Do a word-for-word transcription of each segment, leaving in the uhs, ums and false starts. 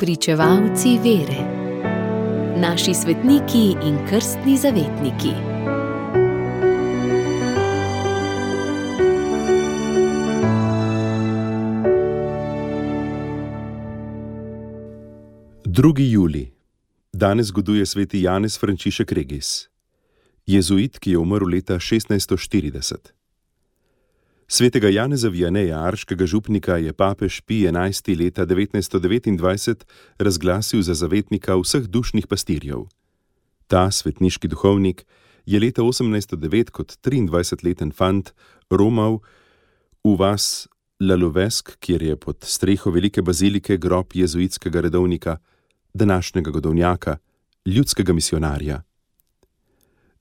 Spričevalci vere. Naši svetniki in krstni zavetniki. drugi julij. Danes goduje sveti Janez Frančišek Regis, jezuit, ki je umrl leta šestnajststo štirideset. Svetega Janeza Vianeja, arškega župnika, je papež Pij enajsti leta devetnajststo devetindvajset razglasil za zavetnika vseh dušnih pastirjev. Ta svetniški duhovnik je leta osemnajststo devet kot triindvajsetleten fant romal v vas Laluvesk, kjer je pod streho velike bazilike grob jezuitskega redovnika, današnjega godovnjaka, ljudskega misionarja.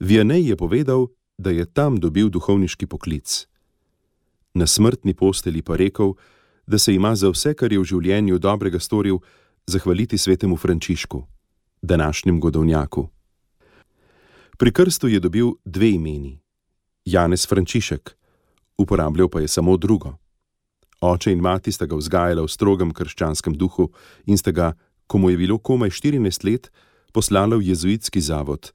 Vianej je povedal, da je tam dobil duhovniški poklic. Na smrtni postelji pa rekel, da se ima za vse, kar je v življenju dobrega storil, zahvaliti svetemu Frančišku, današnjem godovnjaku. Pri krstu je dobil dve imeni, Janez Frančišek, uporabljal pa je samo drugo. Oče in mati sta ga vzgajala v strogem krščanskem duhu in sta ga, ko mu je bilo komaj štirinajst let, poslala v jezuitski zavod.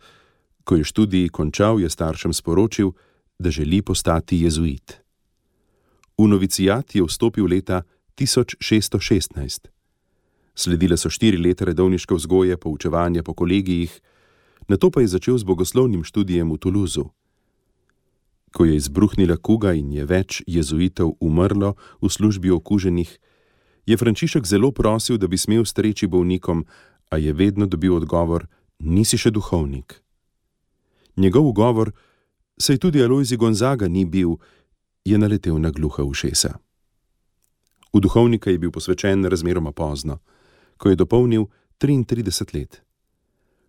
Ko je študij končal, je staršem sporočil, da želi postati jezuit. V novicijat je vstopil leta tisoč šeststo šestnajst. Sledile so štiri leta redovniške vzgoje, poučevanja po kolegijih, nato pa je začel z bogoslovnim študijem v Toulouseu. Ko je izbruhnila kuga in je več jezuitov umrlo v službi okuženih, je Frančišek zelo prosil, da bi smel streči bolnikom, a je vedno dobil odgovor: nisi še duhovnik. Njegov ugovor, saj tudi Alojzij Gonzaga ni bil, je naletel na gluha ušesa. V duhovnika je bil posvečen razmeroma pozno, ko je dopolnil triintrideset let.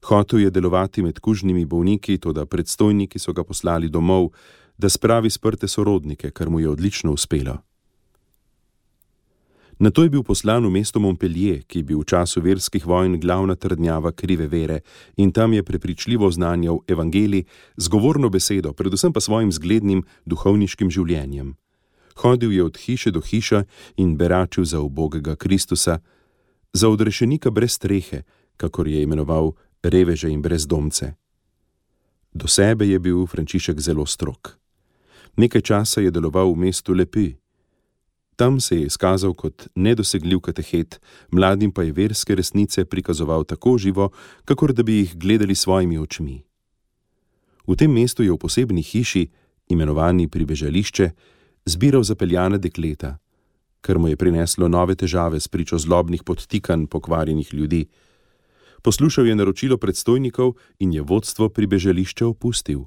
Hotel je delovati med kužnimi bolniki, toda predstojniki so ga poslali domov, da spravi sprte sorodnike, kar mu je odlično uspelo. Nato je bil poslan v mesto Montpellier, ki je bil v času verskih vojn glavna trdnjava krive vere, in tam je prepričljivo oznanjal evangelij z govorno besedo, predvsem pa svojim zglednim duhovniškim življenjem. Hodil je od hiše do hiše in beračil za ubogega Kristusa, za odrešenika brez strehe, kakor je imenoval reveže in brezdomce. Do sebe je bil Frančišek zelo strog. Nekaj časa je deloval v mestu Le Puy. Tam se je izkazal kot nedosegljiv katehet, mladim pa je verske resnice prikazoval tako živo, kakor da bi jih gledali svojimi očmi. V tem mestu je v posebni hiši, imenovani Pribežališče, zbiral zapeljana dekleta, kar mu je prineslo nove težave s pričo zlobnih podtikanj pokvarjenih ljudi. Poslušal je naročilo predstojnikov in je vodstvo Pribežališča opustil.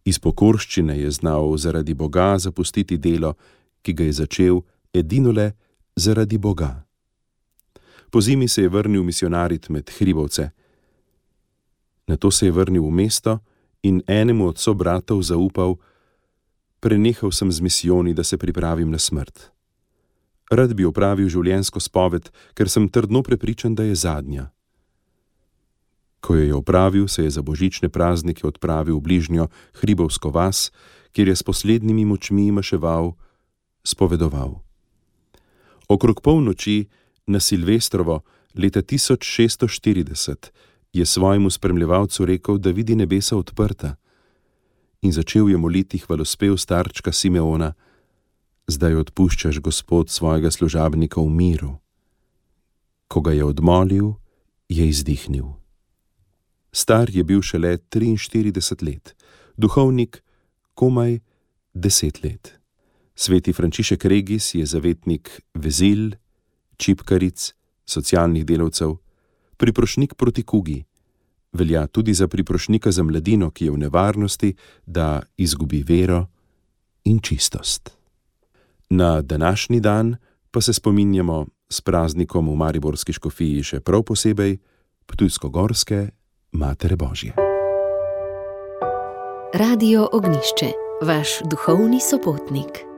Iz pokorščine je znal zaradi Boga zapustiti delo, ki ga je začel edinole zaradi Boga. Po zimi se je vrnil misionarit med hribovce. Nato se je vrnil v mesto in enemu od sobratov zaupal: prenehal sem z misijoni, da se pripravim na smrt. Rad bi opravil življenjsko spoved, ker sem trdno prepričan, da je zadnja. Ko jo je opravil, se je za božične praznike odpravil v bližnjo hribovsko vas, kjer je s poslednjimi močmi maševal, spovedoval. Okrog polnoči na Silvestrovo leta tisoč šeststo štirideset je svojemu spremljevalcu rekel, da vidi nebesa odprta, in začel je moliti hvalospev starčka Simeona: zdaj odpuščaš, Gospod, svojega služabnika v miru. Ko ga je odmolil, je izdihnil. Star je bil šele triinštirideset let, duhovnik komaj deset let. Sveti Frančišek Regis je zavetnik vezil, čipkaric, socialnih delavcev, priprošnik proti kugi. Velja tudi za priprošnika za mladino, ki je v nevarnosti, da izgubi vero in čistost. Na današnji dan pa se spominjamo s praznikom v mariborski škofiji še prav posebej ptujsko-gorske Matere Božje. Radio Ognjišče, vaš duhovni sopotnik.